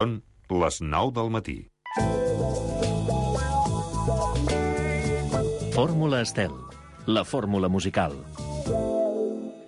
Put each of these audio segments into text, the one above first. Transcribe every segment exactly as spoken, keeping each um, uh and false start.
Són les nou del matí. Fórmula Estel, la fórmula musical.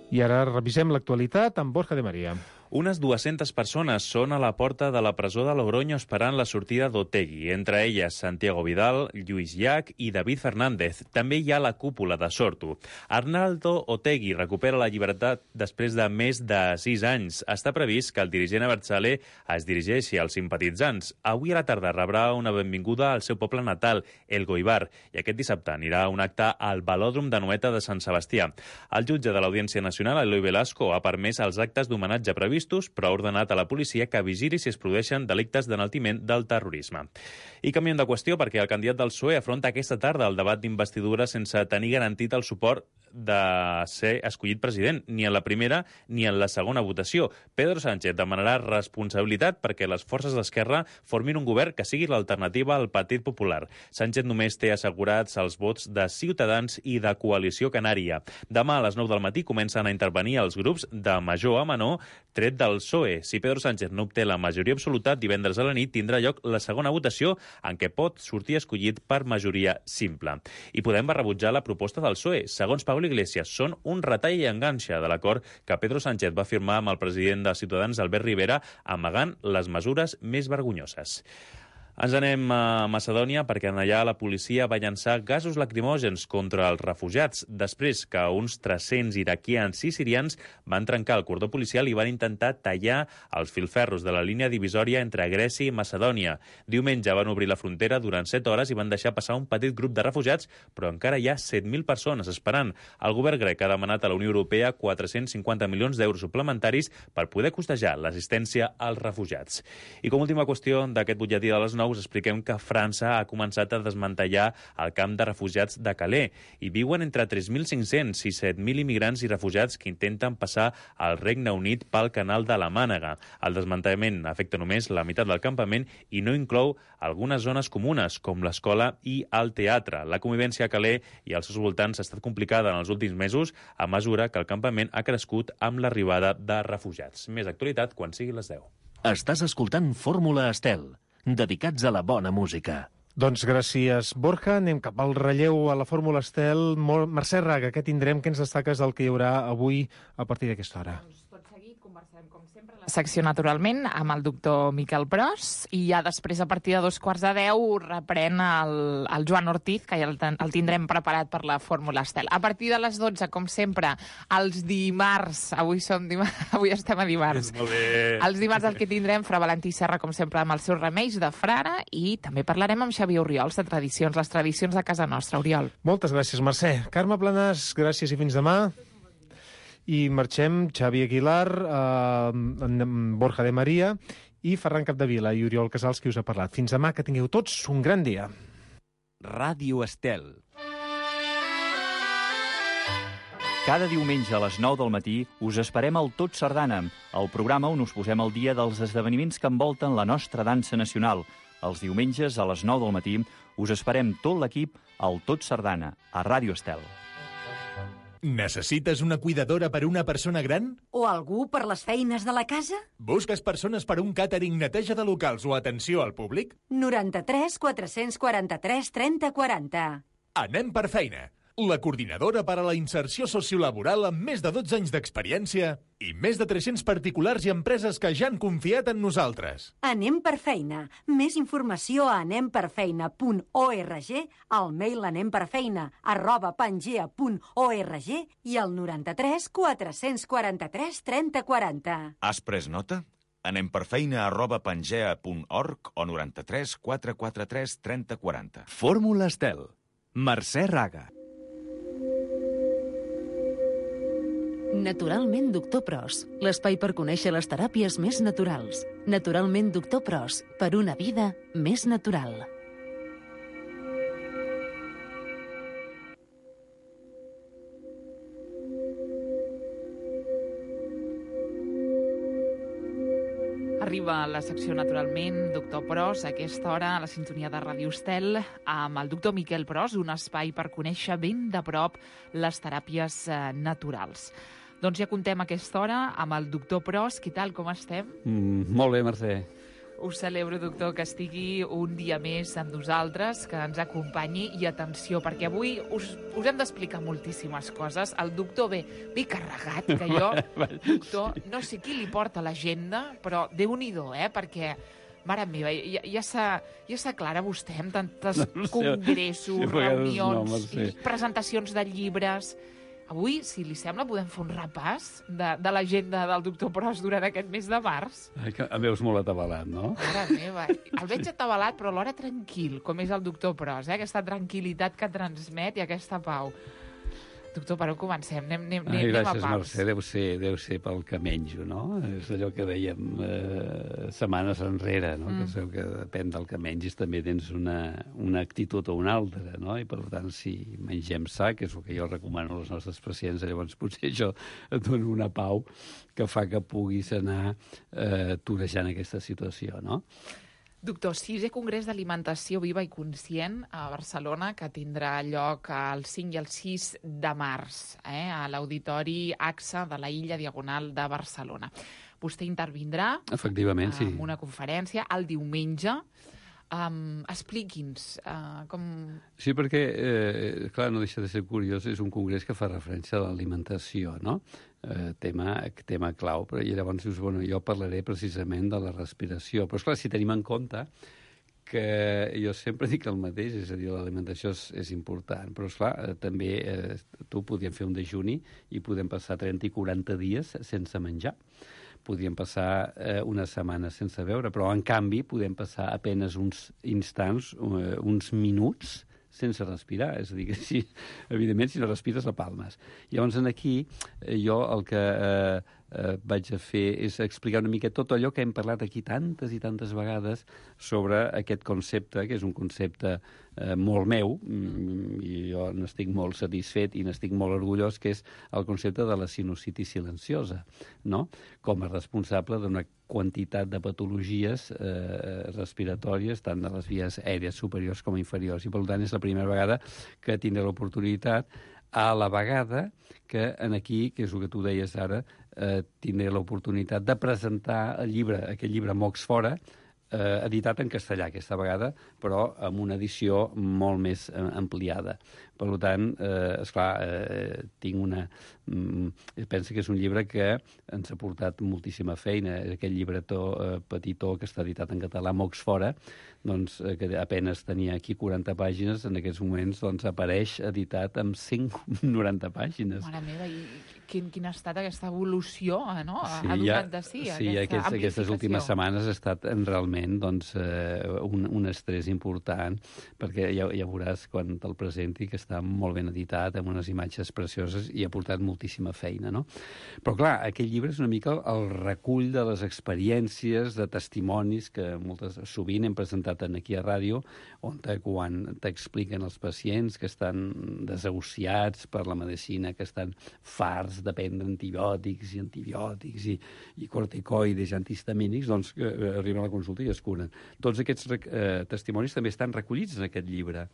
I ara revisem l'actualitat amb Borja de María. Unes dues-centes persones són a la porta de la presó de Logroño esperant la sortida d'Otegi, entre elles Santiago Vidal, Lluís Llach i David Fernández. També hi ha la cúpula de Sortu. Arnaldo Otegi recupera la llibertat després de més de sis anys. Està previst que el dirigent Abertzale es dirigeixi als simpatitzants. Avui a la tarda rebrà una benvinguda al seu poble natal, El Goibar, i aquest dissabte anirà a un acte al Velòdrom de Noeta de Sant Sebastià. El jutge de l'Audiència Nacional, Eloi Velasco, ha permès els actes d'homenatge previstos, però ha ordenat a la policia que vigili si es produeixen delictes d'enaltiment del terrorisme. I canviem de qüestió perquè el candidat del P S O E afronta aquesta tarda el debat d'investidura sense tenir garantit el suport de ser escollit president, ni en la primera ni en la segona votació. Pedro Sánchez demanarà responsabilitat perquè les forces d'esquerra formin un govern que sigui l'alternativa al Partit Popular. Sánchez només té assegurats els vots de Ciutadans i de Coalició Canària. Demà a les nou del matí comencen a intervenir els grups de major a menor tret del P S O E. Si Pedro Sánchez no obté la majoria absoluta, divendres a la nit tindrà lloc la segona votació en què pot sortir escollit per majoria simple. I Podem va rebutjar la proposta del P S O E. Segons Pablo Iglesias, són un retall i enganxa de l'acord que Pedro Sánchez va firmar amb el president de Ciutadans, Albert Rivera, amagant les mesures més vergonyoses. Ens anem a Macedònia perquè en allà la policia va llançar gasos lacrimògens contra els refugiats després que uns tres-cents iraquians i sirians van trencar el cordó policial i van intentar tallar els filferros de la línia divisòria entre Grècia i Macedònia. Diumenge van obrir la frontera durant set hores i van deixar passar un petit grup de refugiats, però encara hi ha set mil persones esperant. El govern grec ha demanat a la Unió Europea quatre-cents cinquanta milions d'euros suplementaris per poder costejar l'assistència als refugiats. I com a última qüestió d'aquest butlletí de les nou, us expliquem que França ha començat a desmantellar el camp de refugiats de Calais i viuen entre tres mil cinc-cents i set mil immigrants i refugiats que intenten passar al Regne Unit pel canal de la Mànega. El desmantellament afecta només la meitat del campament i no inclou algunes zones comunes, com l'escola i el teatre. La convivència a Calais i als seus voltants ha estat complicada en els últims mesos a mesura que el campament ha crescut amb l'arribada de refugiats. Més actualitat quan sigui les deu. Estàs escoltant Fórmula Estel, dedicats a la bona música. Doncs gràcies, Borja. Anem cap al relleu a la Fórmula Estel. Mercè Raga, què tindrem? Què ens destaques del que hi haurà avui a partir d'aquesta hora? Doncs tot seguit conversarem, com sempre, la secció Naturalment amb el doctor Miquel Pros i ja després, a partir de dos quarts de deu, reprèn el, el Joan Ortiz, que ja el, el tindrem preparat per la Fórmula Estel. A partir de les dotze, com sempre, els dimarts, avui som dimarts, avui estem a dimarts. Molt bé. Els dimarts el que tindrem, Fra Valentí Serra, com sempre, amb els seus remeis de frare, i també parlarem amb Xavier Oriols de tradicions, les tradicions de casa nostra. Oriol. Moltes gràcies, Mercè. Carme Planàs, gràcies i fins demà. I marxem, Xavi Aguilar, eh, Borja de María i Ferran Capdevila i Oriol Casals, qui us ha parlat. Fins demà, que tingueu tots un gran dia. Ràdio Estel. Cada diumenge a les nou del matí us esperem al Tot Sardana, el programa on us posem al dia dels esdeveniments que envolten la nostra dansa nacional. Els diumenges a les nou del matí us esperem tot l'equip al Tot Sardana, a Ràdio Estel. Necessites una cuidadora per una persona gran? O algú per les feines de la casa? Busques persones per un càtering, neteja de locals o atenció al públic? noranta-tres quatre-cents quaranta-tres trenta quaranta. Anem per feina. La coordinadora per a la inserció sociolaboral amb més de dotze anys d'experiència i més de tres-cents particulars i empreses que ja han confiat en nosaltres. Anem per feina. Més informació a anem per feina punt org, al mail anemperfeina arroba pangea punt org i al noranta-tres quatre-cents quaranta-tres trenta quaranta. Has pres nota? anemperfeina arroba pangea punt org o noranta-tres quatre-cents quaranta-tres trenta quaranta. Fórmula Estel. Mercè Raga. Naturalment Doctor Pros, l'espai per conèixer les teràpies més naturals. Naturalment Doctor Pros, per una vida més natural. Arriba a la secció Naturalment, doctor Pros, a aquesta hora a la sintonia de Ràdio Estel, amb el doctor Miquel Pros, un espai per conèixer ben de prop les teràpies eh, naturals. Doncs ja contem a aquesta hora amb el doctor Pros. Què tal, com estem? Mm, molt bé, Mercè. Ho celebro, doctor, que estigui un dia més amb nosaltres, que ens acompanyi, i atenció, perquè avui us, us hem d'explicar moltíssimes coses. El doctor ve, ve carregat, que jo, doctor, no sé qui li porta l'agenda, però Déu-n'hi-do, eh, perquè... Mare meva, ja, ja s'aclara ja vostè amb tantes no, congressos, sí, reunions, no, sí. presentacions de llibres... Avui, si li sembla, podem fer un repàs de, de l'agenda del doctor Pros durant aquest mes de març. Ai, que em veus molt atabalat, no? Mare meva, el veig atabalat, però alhora tranquil, com és el doctor Pros, eh? Aquesta tranquil·litat que transmet i aquesta pau. Doctor, per on comencem? Anem, anem, Ai, anem gràcies, a pams. Mercè. Deu ser, deu ser pel que menjo, no? És allò que dèiem eh, setmanes enrere, no? Mm. Que sabeu que depèn del que mengis també tens una, una actitud o una altra, no? I per tant, si mengem sa, que és el que jo recomano als nostres pacients, llavors potser això et dona una pau que fa que puguis anar eh, torejant aquesta situació, no? Doctor, sisè Congrés d'Alimentació Viva i Conscient a Barcelona, que tindrà lloc el cinc i el sis de març, eh, a l'Auditori A X A de la Illa Diagonal de Barcelona. Vostè intervindrà Efectivament, sí. en una conferència el diumenge. Um, expliqui'ns uh, com... Sí, perquè, eh, clar, no deixa de ser curiós, és un congrés que fa referència a l'alimentació, no? Eh, tema, tema clau, però i llavors dius, bueno, jo parlaré precisament de la respiració. Però, esclar, si tenim en compte que jo sempre dic el mateix, és a dir, l'alimentació és, és important, però, esclar, eh, també eh, tu podíem fer un dejuni i podem passar trenta i quaranta dies sense menjar. Podríem passar eh, una setmana sense beure, però, en canvi, podem passar apenes uns instants, uh, uns minuts, sense respirar. És a dir, que si, evidentment, si no respires, la palmes. Llavors, aquí, eh, jo el que eh, eh, vaig a fer és explicar una mica tot allò que hem parlat aquí tantes i tantes vegades sobre aquest concepte, que és un concepte eh, molt meu, mm, i jo n'estic molt satisfet i n'estic molt orgullós, que és el concepte de la sinusitis silenciosa, no? Com a responsable d'una quantitat de patologies eh, respiratòries, tant de les vies aèries superiors com inferiors. I, per tant, és la primera vegada que tindré l'oportunitat, a la vegada que en aquí, que és el que tu deies ara, eh, tindré l'oportunitat de presentar el llibre, aquest llibre Mocs Fora, eh, editat en castellà aquesta vegada, però amb una edició molt més eh, ampliada. Per tant, eh, esclar, eh, tinc una... Mm, penso que és un llibre que ens ha portat moltíssima feina. Aquest llibretó eh, petitó que està editat en català, Mocs Fora, doncs, eh, que apenes tenia aquí quaranta pàgines, en aquests moments doncs, apareix editat amb cent noranta pàgines. Mare meva, i quin, quin ha estat aquesta evolució, no? Sí, ha donat de sí, si, aquesta aquests, aquestes últimes setmanes ha estat realment doncs, eh, un, un estrès important, perquè ja, ja veuràs quan te'l presenti que està molt ben editat, amb unes imatges precioses i ha portat moltíssima feina, no? Però, clar, aquest llibre és una mica el recull de les experiències, de testimonis que moltes, sovint hem presentat aquí a ràdio, on te, quan t'expliquen els pacients que estan desahuciats per la medicina, que estan farts de prendre antibiòtics i antibiòtics i, i corticoides i antihistamínics, doncs que arriben a la consulta i es curen. Tots aquests eh, testimonis també estan recollits en aquest llibre.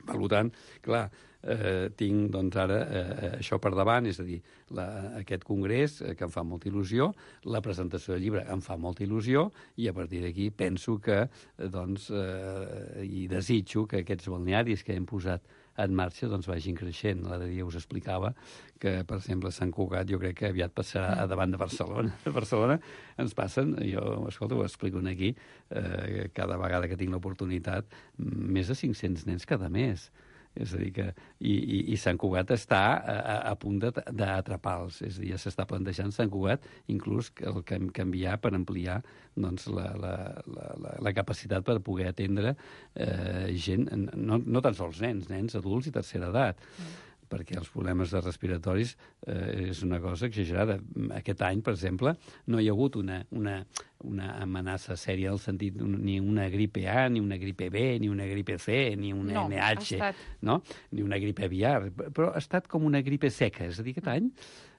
Per tant, clar, eh, tinc doncs, ara eh, això per davant, és a dir, la, aquest congrés eh, que em fa molta il·lusió, la presentació del llibre em fa molta il·lusió i a partir d'aquí penso que, eh, doncs, eh, i desitjo que aquests balnearis que hem posat en marxa doncs vagin creixent. L'altre dia us explicava que, per exemple, Sant Cugat jo crec que aviat passarà a davant de Barcelona. A Barcelona ens passen, jo, escolta, ho explico aquí, eh, cada vegada que tinc l'oportunitat, més de cinc-cents nens cada mes. És a dir que... I, i, i Sant Cugat està a, a punt d'atrapar-los. És a dir, ja s'està plantejant Sant Cugat inclús el canviar per ampliar doncs, la, la, la, la, la capacitat per poder atendre eh, gent, no, no tan sols nens, nens adults i tercera edat. Mm. perquè els problemes de respiratoris eh, és una cosa exagerada. Aquest any, per exemple, no hi ha hagut una, una, una amenaça sèria en el sentit ni una gripe A, ni una gripe B, ni una gripe C, ni una no, N H, estat... no? Ni una gripe aviar, però ha estat com una gripe seca. És a dir, aquest any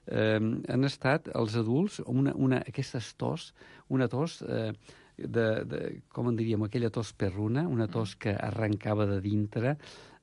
eh, han estat els adults una, una, aquestes tos, una tos... Eh, de, de, com en diríem, aquella tos perruna, una tos que arrencava de dintre,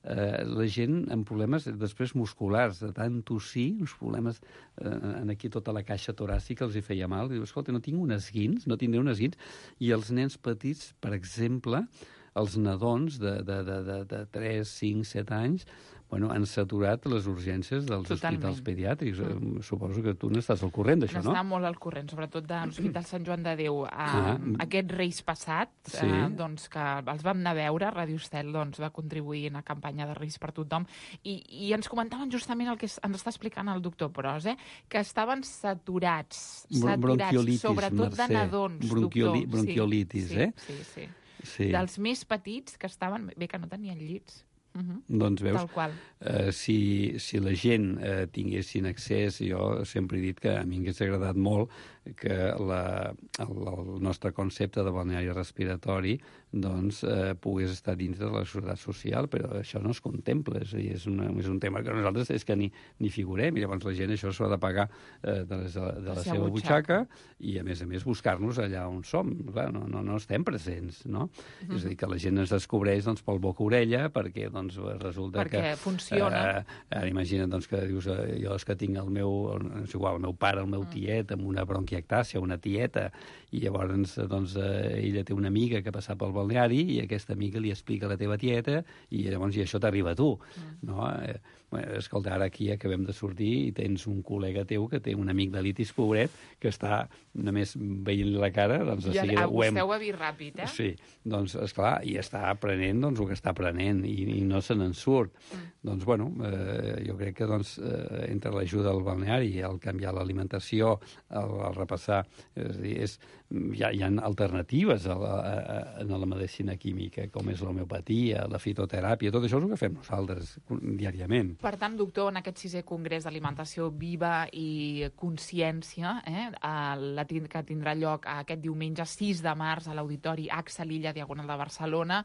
eh, la gent amb problemes després musculars, de tant tossir, uns problemes eh, en aquí tota la caixa toràcica els hi feia mal. Diu, escolta, no tinc un esguins, no tindré un esguins. I els nens petits, per exemple, els nadons de, de, de, de, de tres, cinc, set anys, bueno, han saturat les urgències dels Totalment. hospitals pediàtrics. Mm. Suposo que tu n'estàs al corrent d'això, no? N'està molt al corrent, sobretot de l'Hospital Sant Joan de Déu. Eh, Ah. Aquest Reis passat, Sí. eh, doncs, que els vam anar a veure, Ràdio Estel doncs, va contribuir en la campanya de Reis per tothom, i, i ens comentaven justament el que es- ens està explicant el doctor Pros, eh, que estaven saturats, Bron- saturats, bronquiolitis, sobretot Mercè. de nadons, Bronquioli- doctor. bronquiolitis, sí, eh? Sí, sí. Sí. Dels més petits que estaven... Bé, que no tenien llits. Uh-huh. Doncs veus, Tal qual. eh, si, si la gent eh, tinguessin accés, jo sempre he dit que a mi m'hagués agradat molt que la, el, el nostre concepte de balneari respiratori doncs, eh, pogués estar dins de la seguretat social, però això no es contempla, és, a dir, és, una, és un tema que nosaltres és que ni, ni figurem, i llavors la gent això s'ho ha de pagar eh, de, les, de la, de la seva butxaca, i a més a més buscar-nos allà on som. Clar, no, no, no estem presents, no? Uh-huh. És a dir, que la gent ens descobreix doncs, pel boca-orella, perquè doncs, resulta perquè que... funciona. Eh, eh, imagina't doncs, que dius, eh, jo és que tinc el meu, és igual, el meu pare, el meu tiet, amb una bronquiectàcia, una tieta, i llavors doncs, eh, ella té una amiga que passa pel balneari i aquesta amiga li explica a la teva tieta i llavors i això t'arriba a tu. Mm. No? Eh, bueno, escolta, ara aquí acabem de sortir i tens un col·lega teu que té un amigdalitis pobret que està només veient la cara, doncs de I seguida ho hem... vostè ho ha vist ràpid, eh? Sí, doncs, esclar, i està aprenent doncs, el que està aprenent i, i no se n'en surt. Mm. Doncs, bueno, eh, jo crec que doncs, eh, entre l'ajuda al balneari, el canviar l'alimentació, el, el repassar, és a dir, és, hi, ha, hi ha alternatives a la, a, a la medicina química, com és l'homeopatia, la fitoteràpia, tot això és el que fem nosaltres diàriament. Per tant, doctor, en aquest sisè congrés d'alimentació viva i consciència, eh, la tind que tindrà lloc aquest diumenge sis de març a l'Auditori Axel Illa, Diagonal de Barcelona,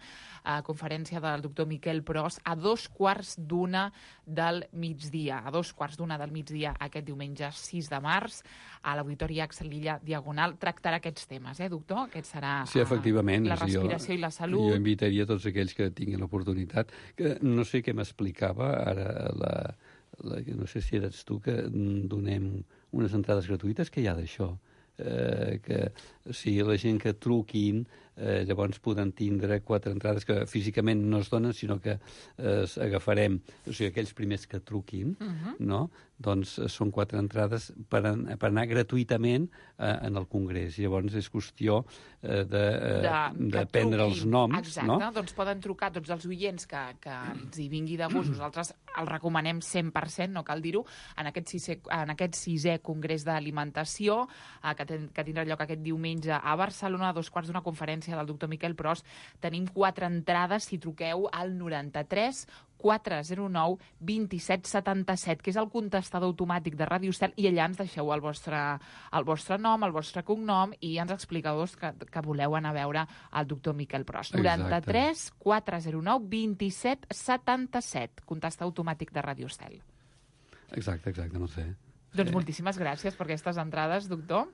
a conferència del doctor Miquel Pros, a dos quarts d'una del migdia. A dos quarts d'una del migdia aquest diumenge sis de març a l'Auditori Axel Illa, Diagonal, tractarà aquests temes, eh, doctor? Aquest serà sí, efectivament, la respiració jo, i la salut. Jo invitaria tots aquells que tinguin l'oportunitat, que no sé què m'explicava ara la, la, no sé si eres tu, que donem unes entrades gratuïtes, que hi ha d'això? Eh, que o sigui, la gent que truquin eh, llavors poden tindre quatre entrades que físicament no es donen, sinó que eh, agafarem, o sigui, aquells primers que truquin, uh-huh. no? Doncs són quatre entrades per, an per anar gratuïtament eh, en el Congrés. I llavors és qüestió eh, de, eh, de, de prendre els noms. Exacte, no? Doncs poden trucar tots els oients que, que ens hi vingui de gust. Nosaltres el recomanem cent per cent, no cal dir-ho, en, aquest sisè, en aquest sisè Congrés d'Alimentació eh, que, ten, que tindrà lloc aquest diumenge a Barcelona, a dos quarts d'una conferència del doctor Miquel Pros. Tenim quatre entrades si truqueu al noranta-tres quatre zero nou dos set set set, que és el contestador automàtic de Ràdio Estel, i allà ens deixeu el vostre, el vostre nom, el vostre cognom, i ens expliqueu que, que voleu anar a veure el doctor Miquel Pros. noranta-tres quatre zero nou dos set set set, contestador automàtic de Ràdio Estel. Exacte, exacte, no sé. Doncs eh. moltíssimes gràcies per aquestes entrades, doctor.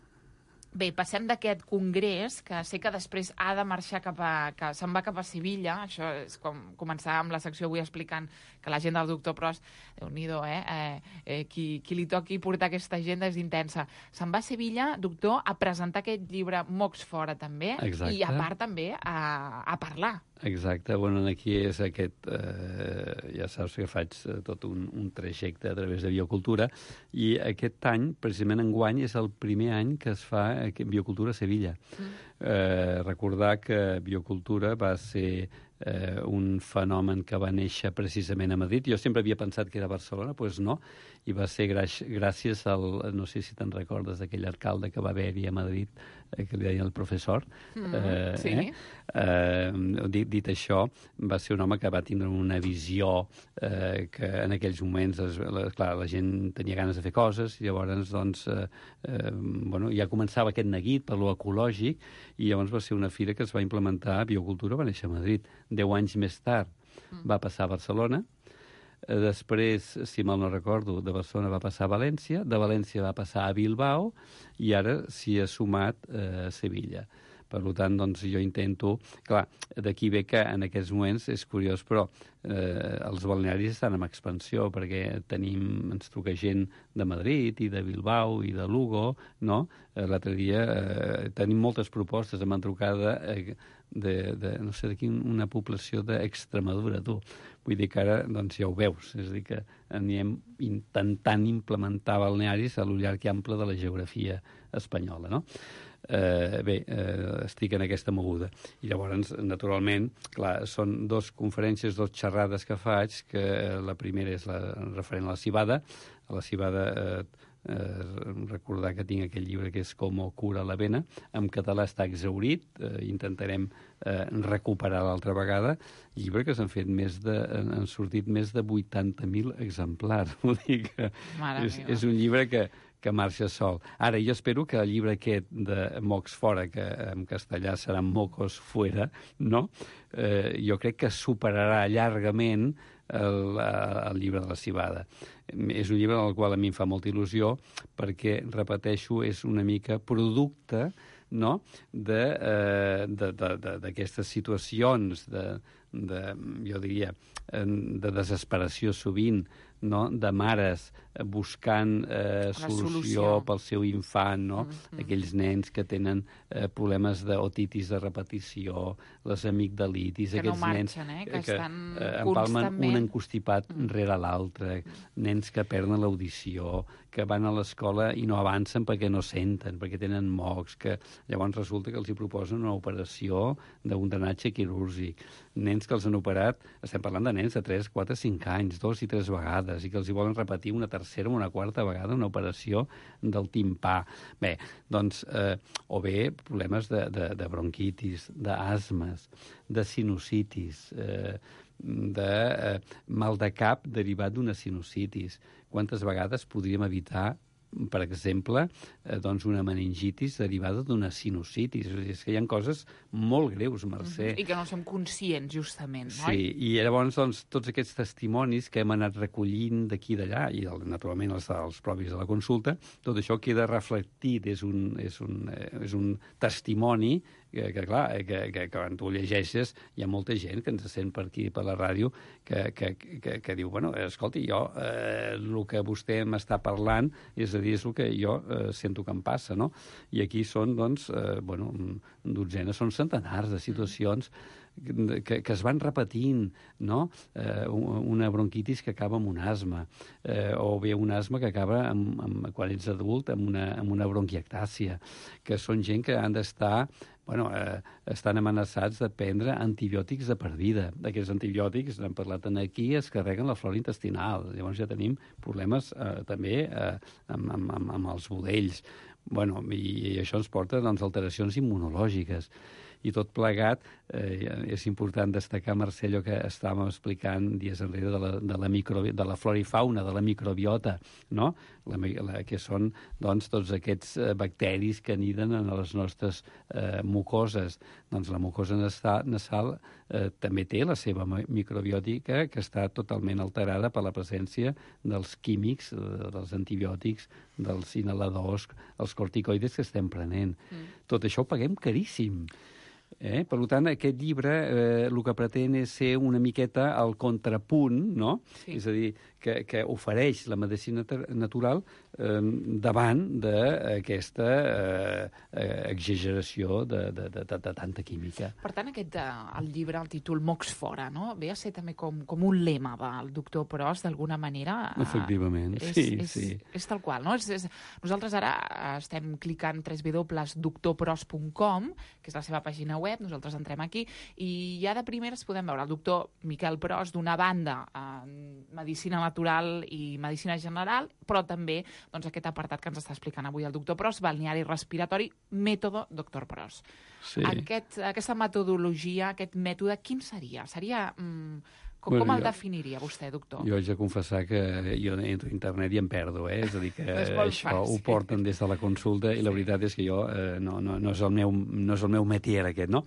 Bé, passem d'aquest congrés, que sé que després ha de marxar cap a... que se'n va cap a Sevilla. Això és com començar amb la secció avui explicant que l'agenda del doctor Pros, déu-n'hi-do, eh? Eh, eh, qui, qui li toqui portar aquesta agenda és intensa. Se'n va a Sevilla, doctor, a presentar aquest llibre Mocs Fora, també. Exacte. I a part també a, a parlar. Exacte, bueno, aquí és aquest, eh, ja saps que faig eh, tot un, un trajecte a través de Biocultura, i aquest any, precisament enguany, és el primer any que es fa eh, Biocultura a Sevilla. Mm. Eh, recordar que Biocultura va ser eh, un fenomen que va néixer precisament a Madrid. Jo sempre havia pensat que era a Barcelona, doncs no, i va ser gràcies al, no sé si te'n recordes, d'aquell alcalde que va haver-hi a Madrid, eh, que li deien el professor. Mm, eh, sí. Eh? Eh, dit, dit això, va ser un home que va tindre una visió eh, que en aquells moments, es, la, clar, la gent tenia ganes de fer coses, i llavors, doncs, eh, eh, bueno, ja començava aquest neguit per lo ecològic, i llavors va ser una fira que es va implementar a Biocultura, va néixer a Madrid. Deu anys més tard va passar a Barcelona. Després, si mal no recordo, de Barcelona va passar a València, de València va passar a Bilbao, i ara s'hi ha sumat eh, a Sevilla. Per tant, doncs, jo intento... Clar, d'aquí ve que en aquests moments és curiós, però eh, els balnearis estan en expansió, perquè tenim, ens truca gent de Madrid i de Bilbao i de Lugo, no? Eh, l'altre dia eh, tenim moltes propostes, em van trucar de, de, de no sé, d'aquí una població d'Extremadura, tu. Vull dir que ara, doncs, ja ho veus, és a dir, que anem intentant implementar balnearis a lo llarg i ample de la geografia espanyola, no? Eh, bé, eh, estic en aquesta moguda. I llavors, naturalment, clar, són dos conferències, dos xerrades que faig, que la primera és la referent a la civada. A la civada eh, eh, recordar que tinc aquell llibre que és Com cura la vena. En català està exhaurit, eh, intentarem eh, recuperar l'altra vegada. Llibre que s'han fet més de... han sortit més de vuitanta mil exemplars. Vull dir que és, és un llibre que que marxa sol. Ara, jo espero que el llibre aquest de Mocs fora, que en castellà serà Mocos fuera, no? Eh, jo crec que superarà llargament el, el llibre de la civada. És un llibre en el qual a mi em fa molta il·lusió perquè, repeteixo, és una mica producte, no?, d'aquestes situacions de, de, jo diria, de desesperació sovint, no?, de mares buscant eh, solució, solució pel seu infant, no? Mm-hmm. Aquells nens que tenen eh, problemes d'otitis de repetició, les amigdalitis, que aquests no marxen, nens eh? que, que estan eh, empalmen constantment... un encostipat mm. rere l'altre, nens que perden l'audició, que van a l'escola i no avancen perquè no senten, perquè tenen mocs, que llavors resulta que els hi proposen una operació d'un drenatge quirúrgic. Nens que els han operat, estem parlant de nens de tres, quatre, cinc anys, dos i tres vegades, i que els hi volen repetir una tercera o una quarta vegada una operació del timpà. Bé, doncs, eh, o bé problemes de, de, de bronquitis, d'asmes, de sinusitis, eh, de eh, mal de cap derivat d'una sinusitis. Quantes vegades podríem evitar, per exemple, eh, doncs una meningitis derivada d'una sinusitis? És que hi ha coses molt greus, Mercè. Mm-hmm. I que no som conscients, justament, no? Sí, i llavors, doncs, tots aquests testimonis que hem anat recollint d'aquí i d'allà, i naturalment els, els propis de la consulta, tot això queda reflectit, és un, és un, és un testimoni que, que clar, que, que, que quan tu llegeixes hi ha molta gent que ens sent per aquí, per la ràdio, que, que, que, que diu, bueno, escolti, jo, eh, el que vostè m'està parlant, és a dir, és el que jo eh, sento que em passa, no? I aquí són, doncs, eh, bueno, dotzenes, són centenars de situacions que, que es van repetint, no? Eh, una bronquitis que acaba amb un asma, eh, o bé un asma que acaba, amb, amb, quan ets adult, amb una, amb una bronquiectàcia, que són gent que han d'estar... Bueno, eh, estan amenaçats de prendre antibiòtics de per vida. Aquests antibiòtics, n'hem parlat aquí, es carreguen la flora intestinal. Llavors ja tenim problemes eh, també eh, amb, amb, amb, amb els budells. Bueno, i, i això ens porta, doncs, alteracions immunològiques. I tot plegat, eh, és important destacar, Mercè, allò que estàvem explicant dies enrere de la, de la, micro, de la flora i fauna, de la microbiota, no? La, la, que són, doncs, tots aquests eh, bacteris que aniden en les nostres eh, mucoses. Doncs la mucosa nasal eh, també té la seva microbiòtica, que està totalment alterada per la presència dels químics, eh, dels antibiòtics, dels inhaladors, els corticoides que estem prenent. Mm. Tot això ho paguem caríssim. Eh? Per tant, aquest llibre eh, el que pretén és ser una miqueta al contrapunt, no? Sí. És a dir, que, que ofereix la medicina natural eh, davant d'aquesta eh, exageració de, de, de, de, de tanta química. Per tant, aquest, el llibre, el títol Mocs fora, no? Ve a ser també com, com un lema del doctor Pros, d'alguna manera. Efectivament, és, sí, és, sí. És tal qual, no? És, és, nosaltres ara estem clicant w w w punt doctor pros punt com, que és la seva pàgina web, nosaltres entrem aquí, i ja de primeres podem veure el doctor Miquel Pros, d'una banda, eh, medicina natural i medicina general, però també doncs, aquest apartat que ens està explicant avui el doctor Pros, balneari respiratori, mètode doctor Pros. Sí. Aquest, aquesta metodologia, aquest mètode, quin seria? Seria... Mm, com, bueno, com el jo, definiria vostè, doctor? Jo haig de confessar que jo entro a internet i em perdo, eh? És a dir, que això fàcil. Ho porten des de la consulta i sí. La veritat és que jo eh, no, no, no, és el meu, no és el meu métier aquest, no?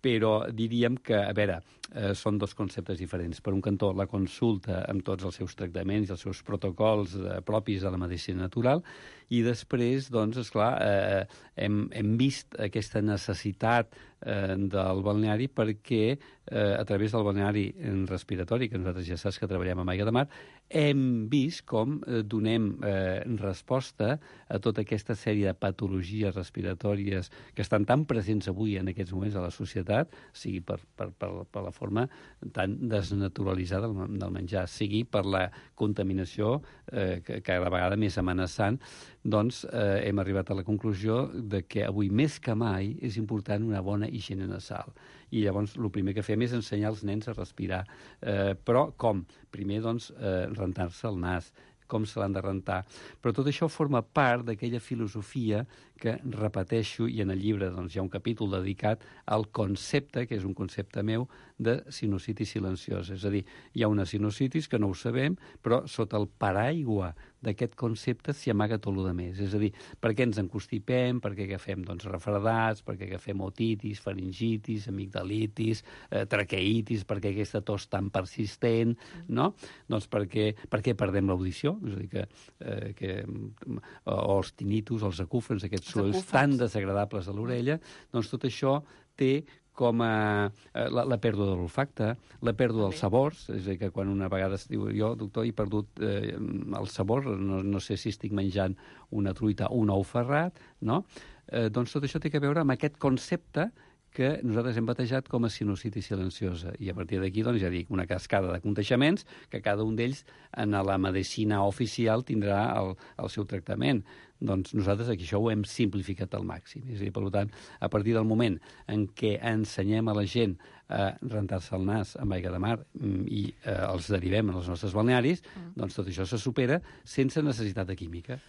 Però diríem que, a veure, eh, són dos conceptes diferents. Per un cantó, la consulta amb tots els seus tractaments i els seus protocols eh, propis de la medicina natural, i després, doncs, esclar, eh, hem, hem vist aquesta necessitat eh, del balneari perquè eh, a través del balneari respiratori, que nosaltres ja saps que treballem amb aigua de mar, hem vist com eh, donem eh, resposta a tota aquesta sèrie de patologies respiratòries que estan tan presents avui en aquests moments a la societat, sigui per, per, per, per la forma tan desnaturalitzada del, del menjar, sigui per la contaminació eh, que cada vegada més amenaçant, doncs eh, hem arribat a la conclusió de que avui més que mai és important una bona higiene nasal. I llavors el primer que fem és ensenyar als nens a respirar. Eh, però com? Primer, doncs, eh, rentar-se el nas, com se l'han de rentar. Però tot això forma part d'aquella filosofia que repeteixo, i en el llibre doncs, hi ha un capítol dedicat al concepte, que és un concepte meu, de sinusitis silenciosa. És a dir, hi ha una sinusitis que no ho sabem, però sota el paraigua d'aquest concepte s'hi amaga tot el més. És a dir, per què ens encostipem, per què agafem doncs, refredats, per què agafem otitis, faringitis, amigdalitis, eh, traqueitis, per què aquesta tos tan persistent, no? Doncs perquè, perquè perdem l'audició, és a dir, que, eh, que, o els tinnitus, els acúfens, aquests sorolls tan desagradables a l'orella, doncs tot això té com a la, la pèrdua de l'olfacte, la pèrdua dels sabors, és a dir, que quan una vegada es diu jo, doctor, he perdut eh, el sabor, no, no sé si estic menjant una truita o un ou ferrat, no? Eh, doncs tot això té a veure amb aquest concepte que nosaltres hem batejat com a sinusitis silenciosa. I a partir d'aquí, doncs, ja dic, una cascada de contagiaments que cada un d'ells en la medicina oficial tindrà el, el seu tractament. Doncs nosaltres aquí això ho hem simplificat al màxim. És a dir, per tant, a partir del moment en què ensenyem a la gent a rentar-se el nas amb aigua de mar i eh, els derivem en els nostres balnearis, mm. doncs tot això se supera sense necessitat de química.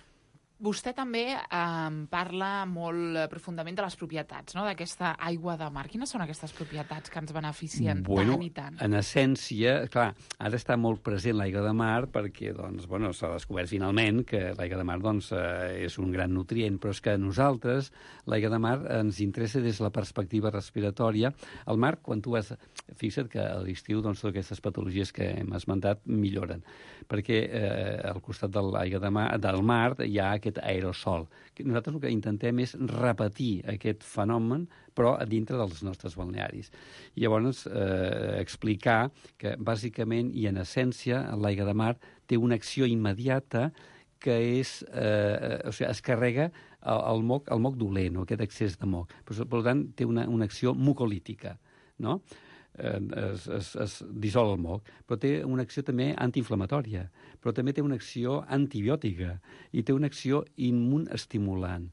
Vostè també eh, parla molt profundament de les propietats, no?, d'aquesta aigua de mar. Quines són aquestes propietats que ens beneficien bueno, tant i tant? En essència, clar, ara està molt present l'aigua de mar perquè doncs, bueno, s'ha descobert finalment que l'aigua de mar doncs, eh, és un gran nutrient, però és que a nosaltres l'aigua de mar ens interessa des de la perspectiva respiratòria. El mar, quan tu vas... Fixa't que a l'estiu doncs, totes aquestes patologies que hem esmentat milloren, perquè eh, al costat de l'aigua de mar, del mar hi ha aquest aerosol. Nosaltres el que intentem és repetir aquest fenomen, però a dintre dels nostres balnearis. I llavors eh, explicar que bàsicament i en essència l'aigua de mar té una acció immediata que és, eh, o sigui, es carrega el, el moc, el moc dolent, aquest excés de moc. Per, per tant, té una, una acció mucolítica, no? Es, es, es dissol el moc, però té una acció també antiinflamatòria, però també té una acció antibiòtica i té una acció immunestimulant.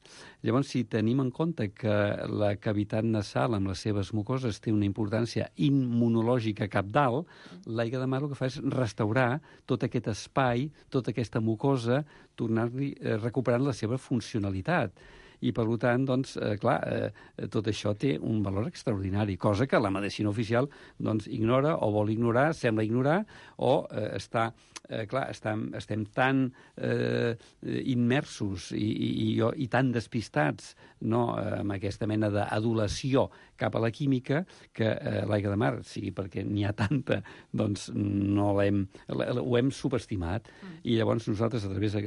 Llavors, si tenim en compte que la cavitat nasal amb les seves mucoses té una importància immunològica cabdal, l'aigua de mar el que fa és restaurar tot aquest espai, tota aquesta mucosa, tornar-li eh, recuperant la seva funcionalitat. I, per tant, doncs, eh, clar, eh, tot això té un valor extraordinari, cosa que la medicina oficial doncs, ignora o vol ignorar, sembla ignorar, o eh, està, eh, clar, estem, estem tan eh, immersos i, i, i, i tan despistats, no, amb aquesta mena d'adulació cap a la química que eh, l'aigua de mar, sigui perquè n'hi ha tanta, doncs no l'hem, ho hem subestimat. Mm. I llavors nosaltres, a través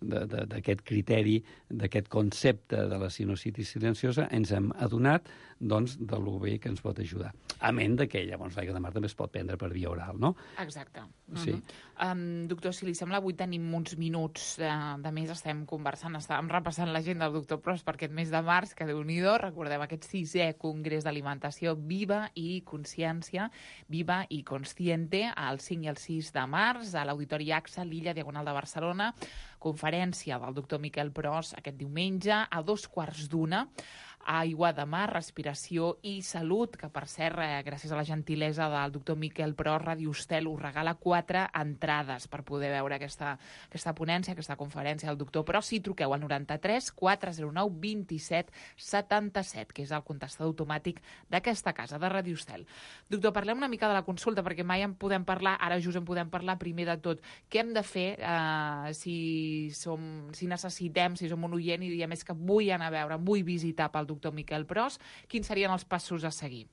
d'aquest criteri, d'aquest concepte de la sinusitis silenciosa, ens hem adonat doncs, de lo bé que ens pot ajudar. A ment de que llavors l'aigua de mar també es pot prendre per via oral, no? Exacte. Sí. Uh -huh. um, doctor, si li sembla, avui tenim uns minuts de, de més, estem conversant, estàvem repassant l'agenda del doctor Pros per aquest mes de març, que Déu-n'hi-do, recordem aquest sisè Congrés d'Alimentació Viva i Consciència, Viva i Consciente, el cinc i el sis de març, a l'Auditori AXA, l'Illa Diagonal de Barcelona, conferència del doctor Miquel Pros aquest diumenge, a dos quarts d'una, aigua de mar, respiració i salut, que per cert, eh, gràcies a la gentilesa del doctor Miquel Pros, Ràdio Estel us regala quatre entrades per poder veure aquesta, aquesta ponència, aquesta conferència del doctor Pros. Si truqueu al noranta-tres quatre zero nou vint-i-set setanta-set, que és el contestador automàtic d'aquesta casa, de Ràdio Estel. Doctor, parlem una mica de la consulta, perquè mai en podem parlar, ara just en podem parlar primer de tot. Què hem de fer eh, si, som, si necessitem, si som un oient i diem és que vull anar a veure, vull visitar pel doctor Miquel Pros, quins serien els passos a seguir?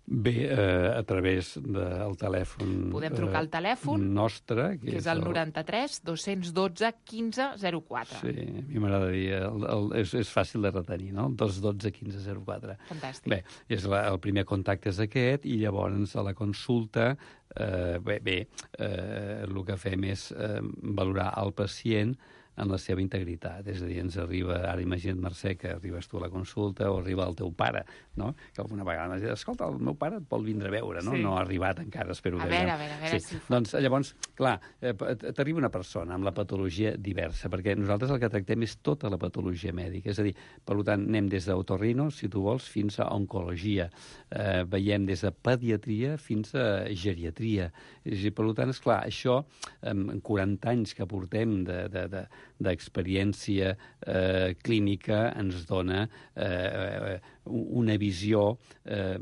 Bé, eh, a través del telèfon... Podem trucar al telèfon nostre, que, que és el noranta-tres dos cents dotze quinze zero quatre. Sí, a mi m'agradaria... El, el, és, és fàcil de retenir, no? El dos dotze quinze zero quatre. Fantàstic. Bé, és la, el primer contacte és aquest, i llavors a la consulta, eh, bé, bé eh, el que fem és eh, valorar el pacient en la seva integritat. És a dir, ens arriba, ara imagina't, Mercè, que arribes tu a la consulta o arriba el teu pare, no? Que alguna vegada m'has dit, escolta, el meu pare et vol vindre a veure, no? Sí. No ha arribat encara, espero A que veure, ja. a veure, a veure sí. si... Doncs llavors, clar, eh, t'arriba una persona amb la patologia diversa, perquè nosaltres el que tractem és tota la patologia mèdica. És a dir, per tant, anem des d'otorrino, si tu vols, fins a oncologia. Eh, veiem des de pediatria fins a geriatria. És a dir, per tant, esclar, això, en quaranta anys que portem de, de, de d'experiència eh, clínica ens dona eh, una visió eh,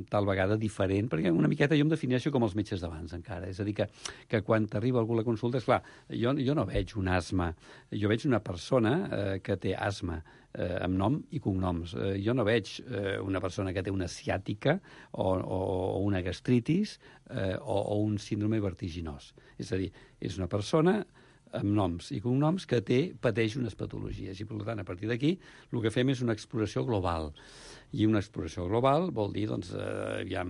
tal vegada diferent, perquè una miqueta jo em defineixo com els metges d'abans encara, és a dir, que, que quan t'arriba algú a la consulta, esclar, jo, jo no veig un asma, jo veig una persona eh, que té asma, eh, amb nom i cognoms. Eh, jo no veig eh, una persona que té una ciàtica o, o, o una gastritis eh, o, o un síndrome vertiginós. És a dir, és una persona amb noms i cognoms que té, pateix unes patologies. I, per tant, a partir d'aquí, el que fem és una exploració global. I una exploració global vol dir, doncs, eh, ja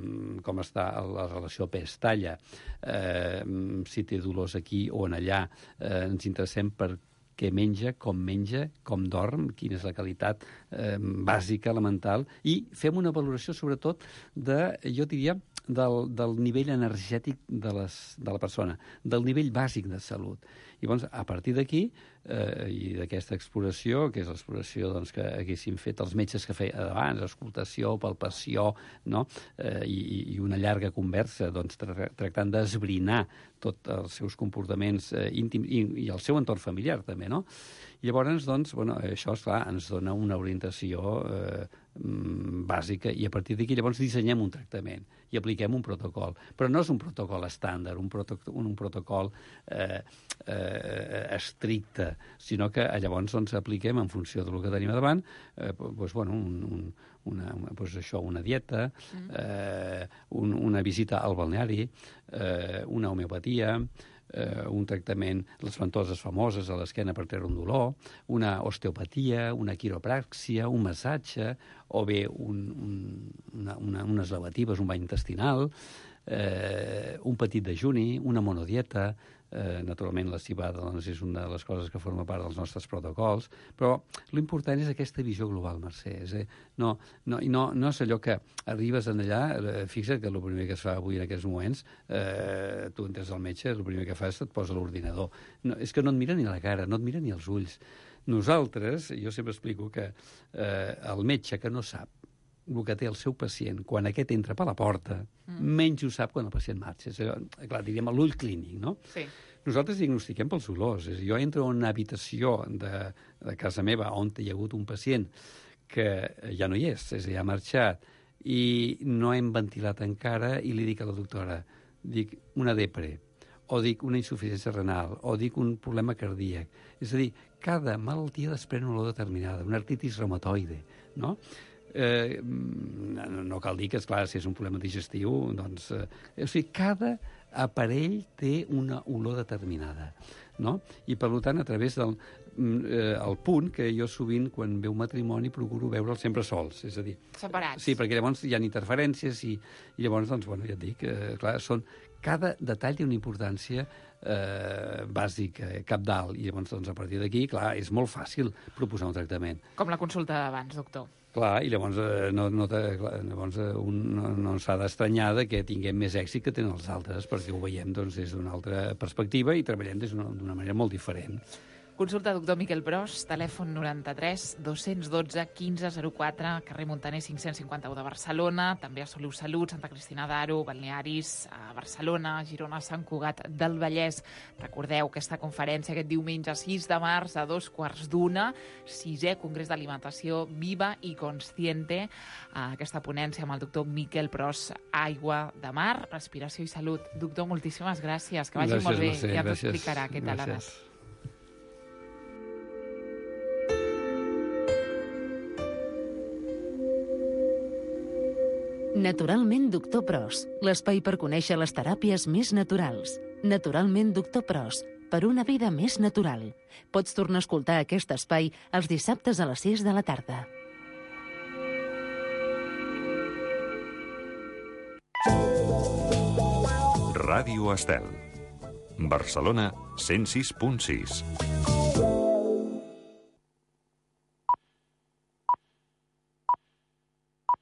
com està la relació pes-talla, eh, si té dolors aquí o en allà, eh, ens interessem per què menja, com menja, com dorm, quina és la qualitat eh, bàsica, elemental, i fem una valoració, sobretot, de, jo diria, del, del nivell energètic de, les, de la persona, del nivell bàsic de salut. I llavors, a partir d'aquí, eh, i d'aquesta exploració, que és l'exploració doncs, que haguessin fet els metges que feien abans, escoltació, palpació, no? eh, i, i una llarga conversa, doncs, tra tractant d'esbrinar tots els seus comportaments eh, íntims i, i el seu entorn familiar, també, no? I llavors, doncs, bueno, això, esclar, ens dona una orientació eh, bàsica i a partir d'aquí llavors dissenyem un tractament i apliquem un protocol. Però no és un protocol estàndard, un, proto un, un protocol eh, eh, estricte, sinó que llavors doncs, apliquem en funció del que tenim davant eh, doncs, bueno, un, un, una, una, doncs això, una dieta, eh, un, una visita al balneari, eh, una homeopatia, eh, un tractament, les ventoses famoses a l'esquena per treure un dolor, una osteopatia, una quiropràxia, un massatge, o bé un, un, una, una, unes lavatives, un bany intestinal, eh, un petit dejuni, una monodieta. Eh, naturalment, la cibada doncs, és una de les coses que forma part dels nostres protocols, però l'important és aquesta visió global, Mercè. És, eh? no, no, no, no és allò que arribes en allà, eh, fixa't que el primer que es fa avui en aquests moments, eh, tu entres al metge, el primer que fas et posa l'ordinador. No, és que no et mira ni la cara, no et mira ni els ulls. Nosaltres, jo sempre explico que eh, el metge que no sap el que té el seu pacient quan aquest entra per la porta, mm. menys ho sap quan el pacient marxa. És, clar, diríem l'ull clínic, no? Sí. Nosaltres diagnostiquem pels olors. És, jo entro en una habitació de, de casa meva on hi ha hagut un pacient que ja no hi és, és a dir, ha marxat, i no hem ventilat encara, i li dic a la doctora, dic una depre, o dic una insuficiència renal, o dic un problema cardíac. És a dir, cada malaltia desprèn una olor determinada, una artritis reumatoide, no? Eh, no, no cal dir que, esclar, si és un problema digestiu, doncs... Eh, o sigui, cada aparell té una olor determinada, no? I, per tant, a través del eh, el punt que jo sovint, quan veu matrimoni, procuro veure'ls sempre sols, és a dir... Separats. Sí, perquè llavors hi ha interferències i, i llavors, doncs, bueno, ja et dic, eh, clar, són... Cada detall té una importància eh, bàsica, cabdal, i llavors, doncs, a partir d'aquí, clar, és molt fàcil proposar un tractament. Com la consulta d'abans, doctor. Clar, i llavors, eh, no, no te, clar, llavors eh, un no, no s'ha d'estranyar que tinguem més èxit que tenen els altres, perquè ho veiem doncs, des d'una altra perspectiva i treballem d'una manera molt diferent. Consulta doctor Miquel Pros, telèfon noranta-tres dos cents dotze quinze zero quatre, carrer Montaner cinc-cents cinquanta-u de Barcelona, també a Soliu Salut, Santa Cristina d'Aro, Balnearis, a Barcelona, Girona, Sant Cugat del Vallès. Recordeu aquesta conferència aquest diumenge sis de març a dos quarts d'una, sisè Congrés d'Alimentació Viva i Consciente, aquesta ponència amb el doctor Miquel Pros, aigua de mar, respiració i salut. Doctor, moltíssimes gràcies, que vagi gràcies, molt bé, Mercè, ja t'ho gràcies, explicarà què tal ha gràcies. anat. Naturalment Doctor Pros, l'espai per conèixer les teràpies més naturals. Naturalment Doctor Pros, per una vida més natural. Pots tornar a escoltar aquest espai els dissabtes a les sis de la tarda. Ràdio Estel. Barcelona cent sis punt sis.